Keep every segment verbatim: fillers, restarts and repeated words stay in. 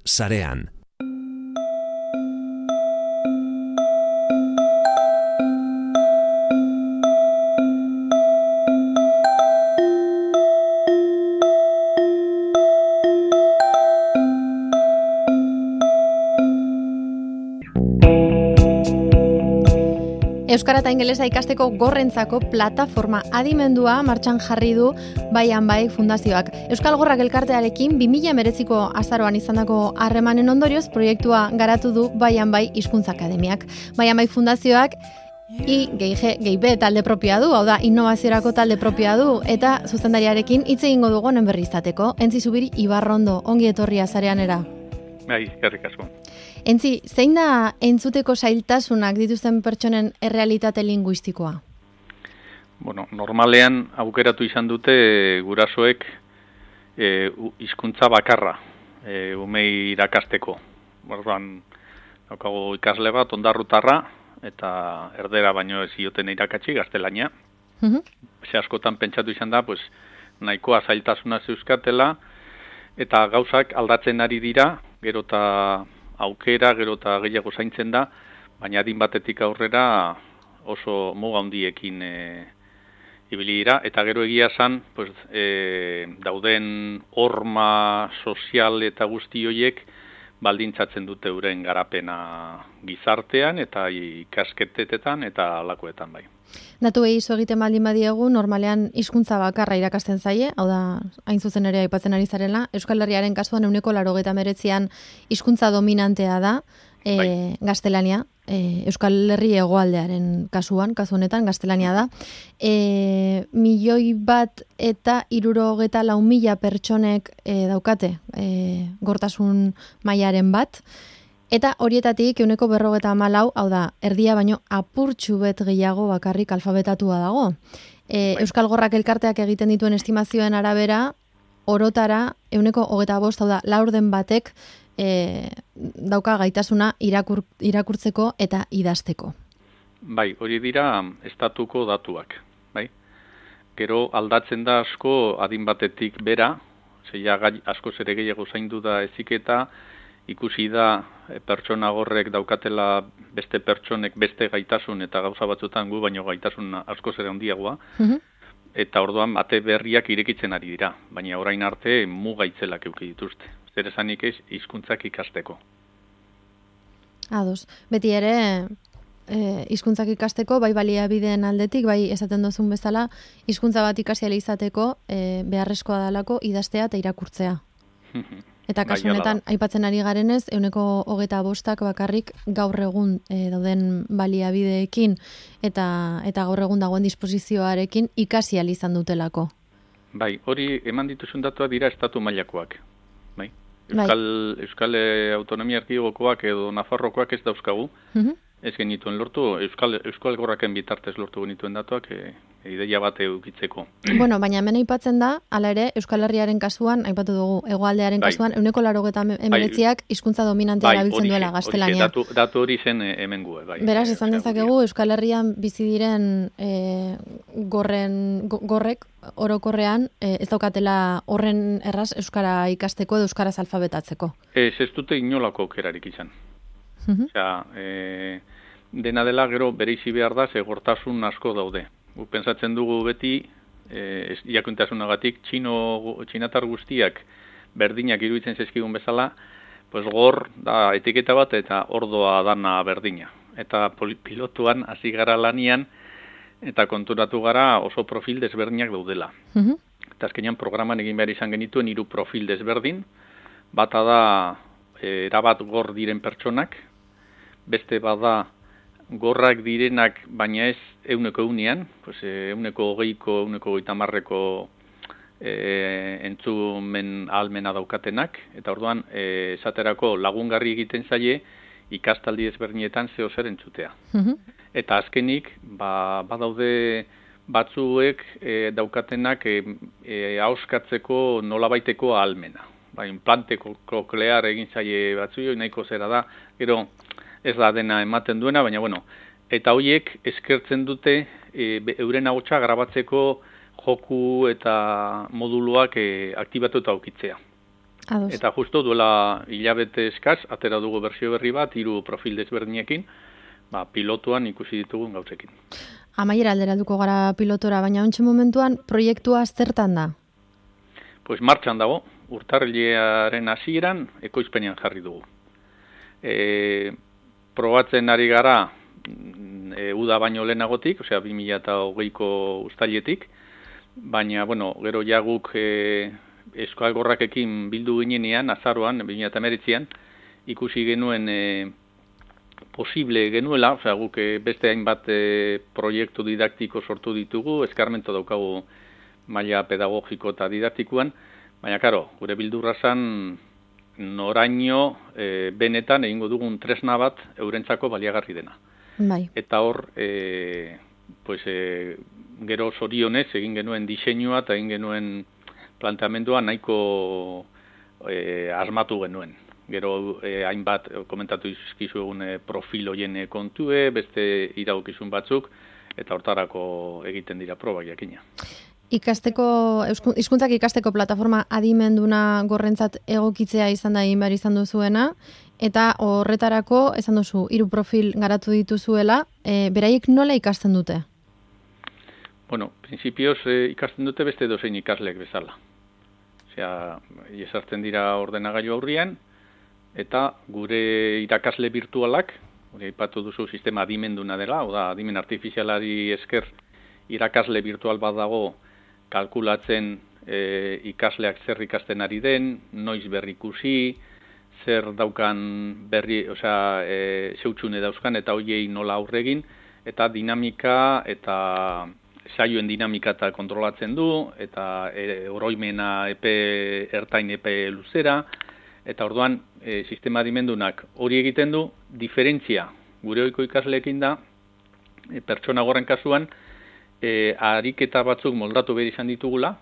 sarean. Euskara eta ingelesa ikasteko gorrentzako plataforma adimendua martxan jarri du Baian Bai Fundazioak. Euskal Gorrak elkartearekin bi mila hemeretziko azaroan izandako harremanen ondorioz proiektua garatu du Baian Bai Hizkuntza Akademiak. Baian Bai Fundazioak I G G B talde propioa du, hau da, innovaziorako talde propioa du, eta zuzendariarekin hitz egingo dugu honen berri izateko. Entzi Zubiri Ibarrondo, ongi etorria zareanera. Bai, eskerrik asko. Entzi, zein da entzuteko zailtasunak dituzten pertsonen errealitate linguistikoa? Bueno, normalean aukeratu izan dute gurasoek e, hizkuntza bakarra, e, umei irakasteko. Orduan, daukagu ikasle bat, ondarrutarra, eta erdera baino ez zioten irakatsi, gaztelania. Uh-huh. Ze askotan pentsatu izan da, pues, nahikoa zailtasuna zeuzkatela, eta gauzak aldatzen ari dira, gero eta aukera, gero eta gehiago zaintzen da, baina adin batetik aurrera oso muga handiekin e, ibili dira, eta gero egia zan, pues, e, dauden horma sozial eta guzti horiek baldintzatzen dute euren garapena gizartean eta ikasketetetan eta alakoetan bai. Datu egizu egiten baldin badiegu, normalean hizkuntza bakarra irakasten zaie, hau da, hain zuzen ere aipatzen ari zarela, Euskal Herriaren kasuan ehuneko laurogeita hemeretzian hizkuntza dominantea da, e, bai. Gaztelania, e, Euskal Herri hegoaldearen kasuan, kasu honetan gaztelania da. E, milioi bat eta hirurogeta lau mila pertsonek e, daukate e, gortasun mailaren bat, eta horietatik ehuneko berrogeta hamalau, hau da, erdia baino apurtxu bet gehiago bakarrik alfabetatua dago. E, Euskal Gorrak elkarteak egiten dituen estimazioen arabera, orotara ehuneko hogeta bost, hau da, laurden batek e, dauka gaitasuna irakur, irakurtzeko eta idazteko. Bai, hori dira estatuko datuak, bai. Gero aldatzen da asko adin batetik bera, zeia asko zere gehiago zaindu da eziketa, ikusi da pertsona gorrek daukatela beste pertsonek beste gaitasun eta gauza batzutan gu baino gaitasun asko zere handiagoa. Uh-huh. Eta orduan ate berriak irekitzen ari dira, baina orain arte mugaitzelak eduki dituzte. Zer esanik ez hizkuntzak ikasteko. Ados, beti ere eh, hizkuntzak ikasteko, bai baliabideen aldetik, bai esaten duzun bezala, hizkuntza bat ikasi ahal izateko eh, beharrezkoa dalako idaztea eta irakurtzea. Eta kasu honetan, aipatzen ari garenez, ehuneko hogeta bostak bakarrik gaur egun e, dauden baliabideekin eta eta gaur egun dagoen disposizioarekin ikasi ahal izan dutelako. Bai, hori eman dituzun datuak dira estatu mailakoak. Bai. Euskal, bai. Euskal Autonomia Erkidegokoak edo Nafarrokoak ez dauzkagu. Uh-huh. Ez genituen lortu, Euskal, Euskal Gorraken bitartez lortu genituen datuak e, ideia bat eukitzeko. Bueno, baina hemen aipatzen da, hala ere, Euskal Herriaren kasuan, aipatu dugu, hegoaldearen bai. Kasuan, ehuneko laurogeita hemeretziak hizkuntza dominantea erabiltzen bai, duela gaztelania. Datu, datu hori zen hemen gu, bai. Beraz, esan dezakegu, Euskal Herrian bizi diren e, gorren, gorrek, orokorrean, e, ez daukatela horren erraz Euskara ikasteko edo Euskaraz alfabetatzeko. Ez, ez dute inolako aukerarik izan. Uh-huh. Osea, e, dena dela gero bereizi behar da, ze gortasun asko daude. Gu pentsatzen dugu beti, e, jakuntasunagatik, txino, txinatar guztiak berdinak iruditzen zaizkigun bezala, pues gor da etiketa bat eta ordoa dana berdina. Eta pilotuan hasi gara lanian, eta konturatu gara oso profil desberdinak daudela. Uh-huh. Eta azkenean programan egin behar izan genituen hiru profil desberdin, bata da e, erabat gor diren pertsonak, beste bada gorrak direnak, baina ez euneko eunean, pues, euneko hogeiko, euneko hogeita marreko e, entzumen ahalmena daukatenak, eta orduan e, esaterako lagungarri egiten zaie ikastaldi ezberdinetan zeo zer entzutea. Uh-huh. Eta azkenik, ba, badaude batzuek e, daukatenak e, e, ahoskatzeko nolabaiteko ahalmena. Ba, implante koklear egin zaie batzuio, nahiko zera da, gero ez da dena ematen duena, baina bueno, eta horiek eskertzen dute e, euren ahotsa grabatzeko joku eta moduluak e, aktibatu eta aukitzea. Ados. Eta justo duela hilabete eskaz, atera dugu bersio berri bat, hiru profil desberdinekin, ba, pilotuan ikusi ditugun gauzekin. Amaiera alderalduko gara pilotora, baina ontsi momentuan proiektua zertan da? Pues martxan dago, urtarrilearen hasieran ekoizpenean jarri dugu. E, probatzen ari gara e, uda baino lehenagotik, osea bi mila hogeiko uztailetik, baina, bueno, gero jaguk e, eskualgorrakekin bildu ginenean, azaroan, bi mila hemeretzian, ikusi genuen e, posible genuela, osea, guk e, beste hainbat e, proiektu didaktiko sortu ditugu, eskarmento daukagu maila pedagogiko eta didaktikoan, baina, karo, gure bildurra zan noraino e, benetan egingo dugun tresna bat eurentzako baliagarri dena. Bai. Eta hor, e, pues, e, gero zorionez egin genuen diseinua eta egin genuen planteamendua nahiko e, asmatu genuen. Gero e, hainbat komentatu izkizu egun e, profil hoien kontue, beste iraukizun batzuk, eta hortarako egiten dira proba jakina. Ikasteko, hizkuntzak ikasteko plataforma adimenduna gorrentzat egokitzea izan da egin behar izan duzuena, eta horretarako, esan duzu, hiru profil garatu dituzuela, e, beraiek nola ikasten dute? Bueno, prinsipioz e, ikasten dute beste dozein ikaslek bezala. Osea, jesartzen dira ordenagailu aurrian, eta gure irakasle virtualak, hori aipatu duzu sistema adimenduna dela, oda adimen artifizialari esker irakasle virtual bat dago kalkulatzen e, ikasleak zer ikasten ari den, noiz berrikusi, zer daukan berri, osea, e, zeutxune dauzkan eta hoiei nola aurregin, eta dinamika eta saioen dinamika eta kontrolatzen du, eta e, oroimena epe ertain epe luzera, eta orduan e, sistema adimendunak hori egiten du, diferentzia gure ohiko ikasleekin da, e, pertsona gorren kasuan, E, ariketa batzuk moldatu behar izan ditugula,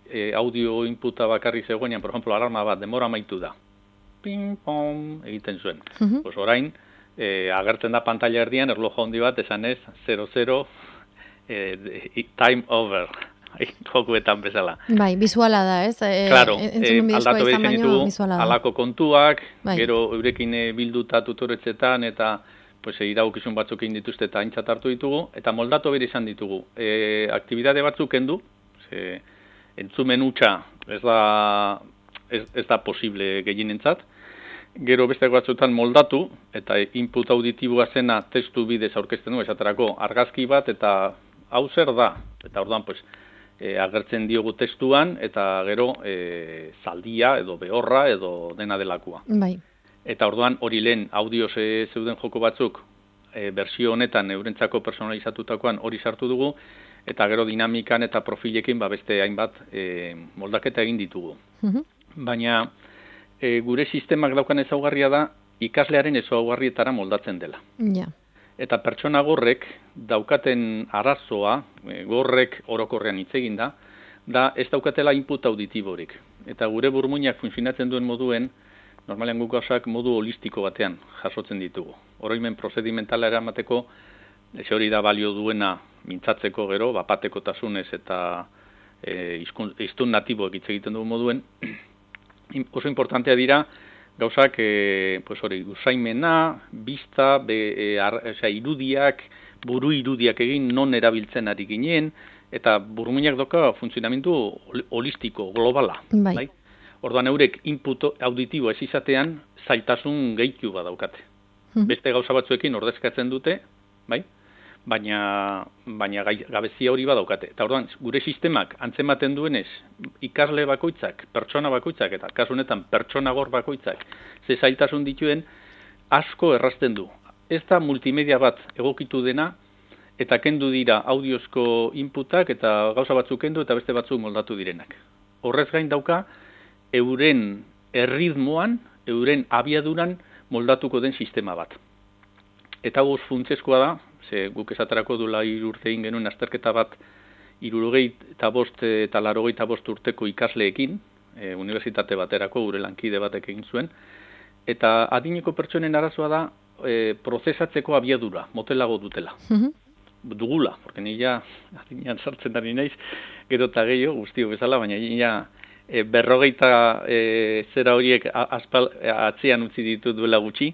e, audio inputa bakarri zegoenean, por ejemplo, alarma bat, demora amaitu da. Ping, pong, egiten zuen. Uh-huh. Pues orain, e, agertzen da pantalla erdian, erloja handi bat, esan ez, zero zero, e, time over. Jokuetan bezala. Bai, bizuala da, ez? E, claro, e, aldatu behar izan ditugu, alako kontuak, bai. Gero eurekin bilduta tutoretzetan, eta pues iraukizun batzuk egin dituzte eta aintzat hartu ditugu, eta moldatu bere izan ditugu. E, aktibidade batzuk kendu, ze, entzumen hutsa ez da, ez, ez da posible gehienentzat, gero beste batzutan moldatu, eta input auditiboa zena testu bidez aurkezten du, esaterako argazki bat, eta hau zer da, eta orduan, pues, e, agertzen diogu testuan, eta gero e, zaldia, edo behorra, edo dena delakoa. Bai. Eta orduan hori lehen audioz e, zeuden joko batzuk e, bersio honetan eurentzako personalizatutakoan hori sartu dugu, eta gero dinamikan eta profilekin ba, beste hainbat e, moldaketa egin ditugu. Uh-huh. Baina e, gure sistemak daukan ezaugarria da ikaslearen ezaugarrietara moldatzen dela. Ja. Eta pertsona gorrek daukaten arazoa, e, gorrek orokorrean hitz egin da, da ez daukatela input auditiborik. Eta gure burmuinak funtzionatzen duen moduen, normalean guk gauzak modu holistiko batean jasotzen ditugu. Oroimen prozedimentala eramateko, ez hori da balio duena mintzatzeko gero, bapateko tasunez eta e, iztun natiboek hitz egiten dugu moduen. Oso importantea dira gauzak e, pues hori, usaimena, bista, be, e, ar, eza, irudiak, buru irudiak egin non erabiltzen ari ginen, eta burmuinak doka funtzionamendu holistiko, globala. Bai. Bai? Orduan eurek input auditibo ez izatean zailtasun gehitu badaukate. Hmm. Beste gauza batzuekin ordezkatzen dute, bai? Baina, baina gabezia hori badaukate. Eta orduan gure sistemak antzematen duenez ikasle bakoitzak, pertsona bakoitzak, eta kasu honetan pertsona gor bakoitzak, ze zailtasun dituen asko errazten du. Ez da multimedia bat egokitu dena, eta kendu dira audiozko inputak, eta gauza batzuk kendu, eta beste batzuk moldatu direnak. Horrez gain dauka, euren erritmoan, euren abiaduran moldatuko den sistema bat. Eta goz funtsezkoa da, ze guk esaterako dula irurte egin genuen azterketa bat irurogei eta bost eta larogei eta bost urteko ikasleekin, e, unibertsitate baterako gure lankide batek egin zuen, eta adineko pertsonen arazoa da e, prozesatzeko abiadura, motelago dutela. Uh-huh. Dugula, porque ni ja adinean sartzen ari naiz, gero eta gehiago, guztio bezala, baina ja e, berrogeita e, zera horiek aspal, atzean utzi ditu duela gutxi,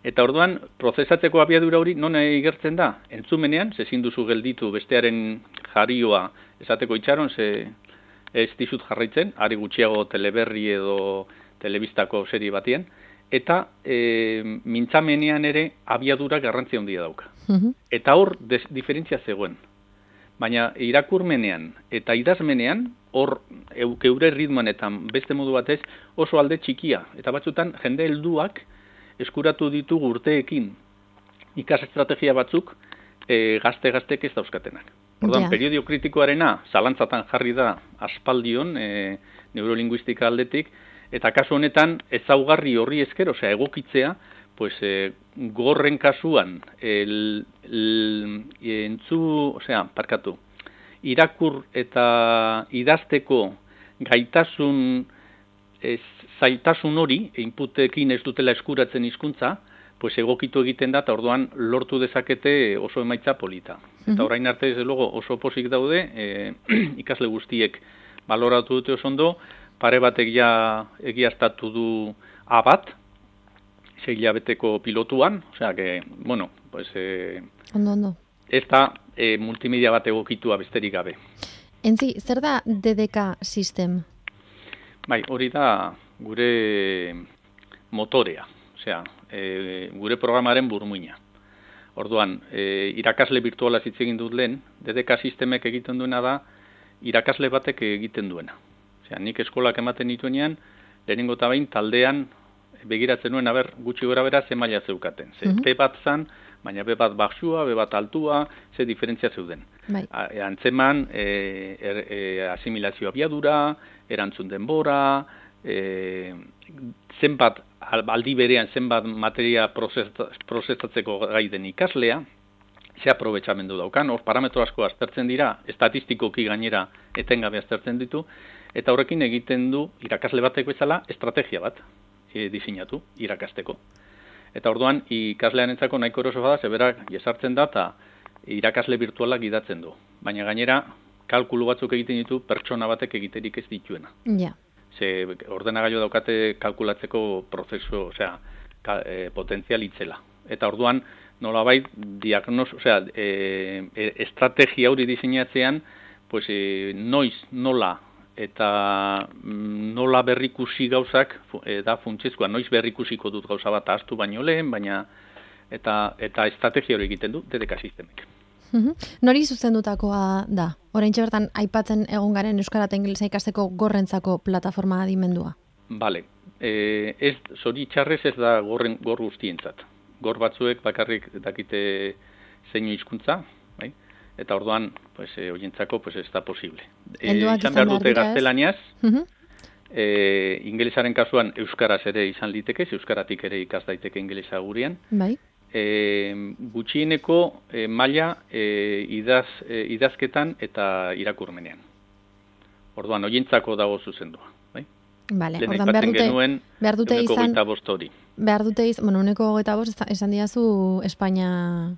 eta orduan, prozesatzeko abiadura hori non igertzen da? Entzumenean, zezin duzu gelditu bestearen jarioa esateko itxaron, ze ez dizut jarraitzen, ari gutxiago teleberri edo telebistako serie batien, eta e, mintzamenean ere abiadura garrantzia handia dauka. Mhm. Eta hor des, diferentzia zegoen. Baina irakurmenean eta idazmenean, hor eure ritmoan eta beste modu batez oso alde txikia. Eta batzutan jende helduak eskuratu ditugu urteekin ikas estrategia batzuk e, gazte-gaztek ez dauzkatenak. Orduan, Ja. periodio kritikoarena zalantzatan jarri da aspaldion e, neurolinguistika aldetik, eta kasu honetan ezaugarri horri esker, osea egokitzea, pues e, gorren kasuan el, el, entzu, osea, parkatu, irakur eta idazteko gaitasun ez, zaitasun hori, inputekin ez dutela eskuratzen hizkuntza, pues egokitu egiten da, eta orduan lortu dezakete oso emaitza polita. Eta orain arte, desde luego, oso posik daude, e, ikasle guztiek baloratu dute oso ondo, pare batek ja egiaztatu du A bat, sei hilabeteko pilotuan, osea, que, bueno, pues, e, Ondo, ondo. ez da e, multimedia bat egokitua besterik gabe. Entzi, zer da D D K System? Bai, hori da gure motorea, osea, e, gure programaren burmuina. Orduan, e, irakasle virtuala hitz egin dut lehen, D D K sistemek egiten duena da, irakasle batek egiten duena. Osea, nik eskolak ematen nituenean, lehenengo eta behin taldean begiratzen nuen, aber, gutxi gora bera, ze maila zeukaten. Ze, Mhm. P bat zan, baina B bat baxua, B bat altua, ze diferentzia zeuden. Bai. A- Antzeman, e, er, e, asimilazio abiadura, erantzun denbora, e, zenbat, al- aldi berean zenbat materia prozesa- prozesatzeko gai den ikaslea, ze aprobetxamendu daukan, hor parametro asko aztertzen dira, estatistikoki gainera etengabe aztertzen ditu, eta horrekin egiten du irakasle batek bezala estrategia bat e, diseinatu irakasteko. Eta orduan ikaslearentzako nahiko eroso bada, zeberak jesartzen da eta irakasle virtualak gidatzen du. Baina gainera kalkulu batzuk egiten ditu pertsona batek egiterik ez dituena. Ja. Ze ordenagailu daukate kalkulatzeko prozesu, osea, ka, e, potentzial itzela. Eta orduan nolabait diagnos, osea, e, e, estrategia hori diseinatzean, pues e, noiz, nola eta mm, nola berrikusi gauzak e, da funtsezkoa, noiz berrikusiko dut gauza bat ahaztu baino lehen, baina eta eta estrategia hori egiten du D D K sistemek. Mhm. Nori zuzendutakoa da? Oraintxe bertan aipatzen egon garen euskara eta ingelesa ikasteko gorrentzako plataforma adimendua. Bale, e, ez zoritxarrez ez da gorren gor guztientzat. Gor batzuek bakarrik dakite zeinu hizkuntza, bai? Eta orduan, pues eh, hoientzako pues ez da posible. Eh, Helduak izan izan behar behar dute dira, ez? gaztelaniaz, Mhm. eh, ingelesaren kasuan euskaraz ere izan liteke, euskaratik ere ikas daiteke ingelesa gurean. Bai. E, gutxieneko e, maila e, idaz, e, idazketan eta irakurmenean. Orduan, hoientzako dago zuzendua. Bai? Vale, Lehen ordan behar aipatzen dute, genuen, behar dute ehuneko izan, hogeita bost hori. behar dute izan, bueno, uneko hogeita bost esan- esan diazu Espainia,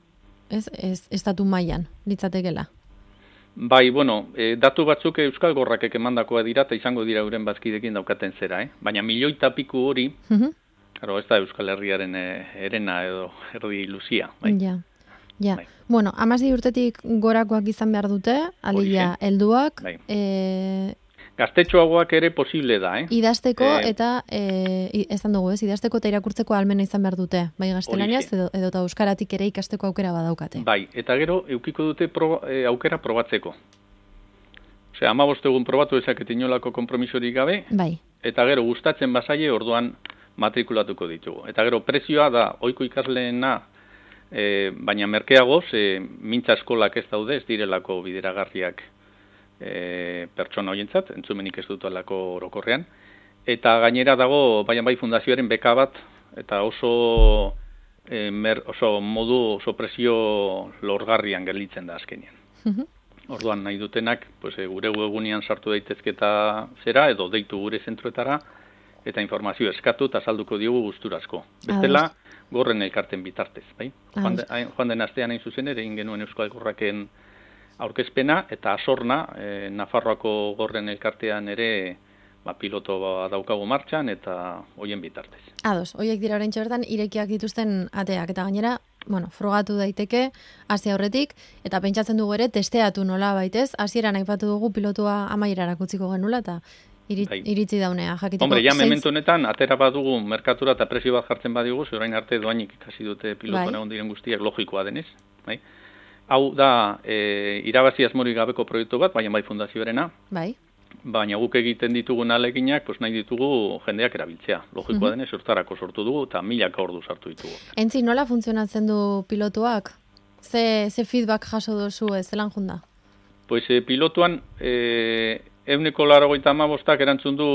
ez, ez, estatu mailan litzatekela. Bai, bueno, e, datu batzuk euskal gorrakek emandakoa dira eta izango dira euren bazkidekin daukaten zera, eh? Baina milioita piku hori, Mhm. claro, ez da Euskal Herriaren e, herena edo erdi luzia, bai. Ja. Ja. Bai. Bueno, hamasei urtetik gorakoak izan behar dute, alegia helduak, Bai. e, Gaztetxoagoak ere posible da, eh? idazteko Eh, eta e, i- esan dugu, ez, idazteko eta irakurtzeko almena izan behar dute, bai gaztelaniaz Horixe. edo edo eta euskaratik ere ikasteko aukera badaukate. Bai, eta gero eukiko dute proba, e, aukera probatzeko. Osea, hamabost egun probatu dezakete inolako konpromisorik gabe, Bai. eta gero gustatzen bazaie orduan matrikulatuko ditugu. Eta gero prezioa da ohiko ikasleena, e, baina merkeagoz, e, mintza eskolak ez daude, ez direlako bideragarriak e, pertsona horientzat, entzumenik ez dut alako orokorrean. Eta gainera dago, baina bai fundazioaren beka bat, eta oso, e, mer, oso modu, oso prezio lorgarrian gelditzen da azkenean. Mhm. Orduan nahi dutenak, pues, e, gure webgunean sartu daitezketa zera, edo deitu gure zentroetara, eta informazio eskatu eta salduko diogu guzturazko. Bestela, gorren elkarten bitartez, bai? Joan, de, hain- joan den astean hain zuzen ere, egin genuen Euskal Gorraken aurkezpena, eta asorna, e, Nafarroako gorren elkartean ere, ba, piloto ba, daukagu martxan eta hoien bitartez. Ados, hoiek dira oraintxe bertan irekiak dituzten ateak eta gainera, bueno, frogatu daiteke hasi aurretik eta pentsatzen dugu ere testeatu nola baitez, hasieran aipatu dugu pilotua amaierara utziko genula eta irit, bai. Iritzi daunea jakiteko. Hombre, ja momentu honetan atera badugu merkatura eta presio bat jartzen badigu, orain arte doainik ikasi dute pilotuan egon diren guztiak logikoa denez, bai? Hau da, e, irabazi asmorik gabeko proiektu bat, baina bai fundazioarena. Bai. Baina guk egiten ditugun aleginak, pues nahi ditugu jendeak erabiltzea. Logikoa denez, hortarako sortu dugu eta milaka ordu sartu ditugu. Entzi, nola funtzionatzen du pilotuak? Ze, ze feedback jaso duzu ez, zelan junda? Pues e, pilotuan, e, euneko laurogeita hamabostak erantzun du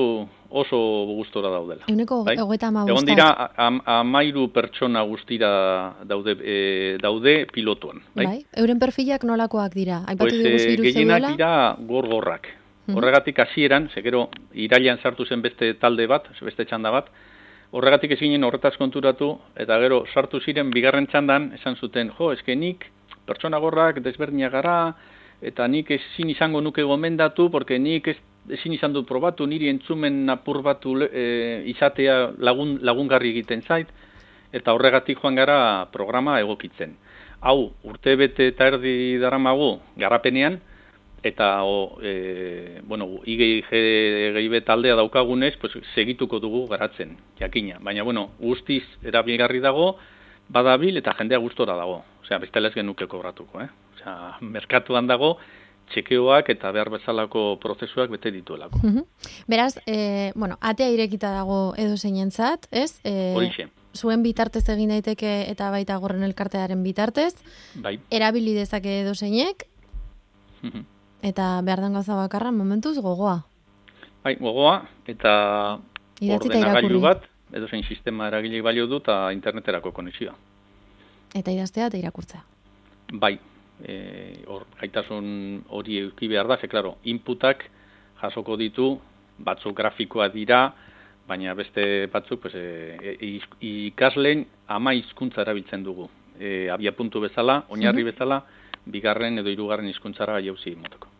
oso gustora daudela. Euneko bai? hogeita hamabostak? Egon dira, am, amairu pertsona guztira daude, e, daude pilotuan. Bai? Bai? Euren perfilak nolakoak dira? Aipatu pues, diguzu hiru gehienak zeudela? dira gorgorrak. Horregatik hasieran, zekero irailean sartu zen beste talde bat, beste txanda bat, horregatik ez ginen horretaz konturatu, eta gero sartu ziren bigarren txandan, esan zuten, jo, eske nik pertsona gorrak desberdinak gara, eta nik ezin izango nuke gomendatu, porque nik ez, ezin izan dut probatu, niri entzumen apur batu e, izatea lagun, lagungarri egiten zait, eta horregatik joan gara programa egokitzen. Hau, urte bete eta erdi daramagu garapenean, eta o, e, bueno, I G I B taldea daukagunez, pues, segituko dugu garatzen, jakina. Baina, bueno, guztiz erabilgarri dago, badabil eta jendea gustora dago. Osea, bestela ez genuke kobratuko, eh? Osea, merkatuan dago, txekeoak eta behar bezalako prozesuak bete dituelako. Uh-huh. Beraz, e, bueno, atea irekita dago edo zeinentzat, ez? E, Horixe. Zuen bitartez egin daiteke eta baita Gorren Elkartearen bitartez. Bai. Erabili dezake edo zeinek. Uh-huh. Eta behar den gauza bakarra momentuz gogoa. Bai, gogoa, eta ordenagailu bat, edo zein sistema eragilek balio du, eta interneterako konexioa. Eta idaztea eta irakurtzea. Bai, e, or, gaitasun hori euki behar da, ze, klaro, inputak jasoko ditu, batzuk grafikoa dira, baina beste batzuk pues, e, ikasleen ama hizkuntza erabiltzen dugu. E, abia puntu bezala, oinarri uh-huh. bezala, bigarren edo hirugarren hizkuntzara jauzi motoko.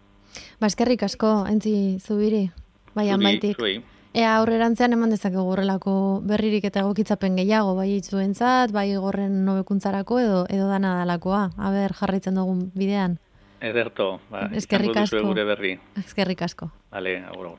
Ba, eskerrik asko, Entzi Zubiri, bai amaitik. Zuei. Ea aurrerantzean eman dezakegu horrelako berririk eta egokitzapen gehiago, bai itzuentzat, bai Gorren hobekuntzarako edo edo dana dalakoa. Aber jarraitzen dugun bidean. Ederto, ba, eskerrik asko. Gure berri. Eskerrik asko. Vale, agur.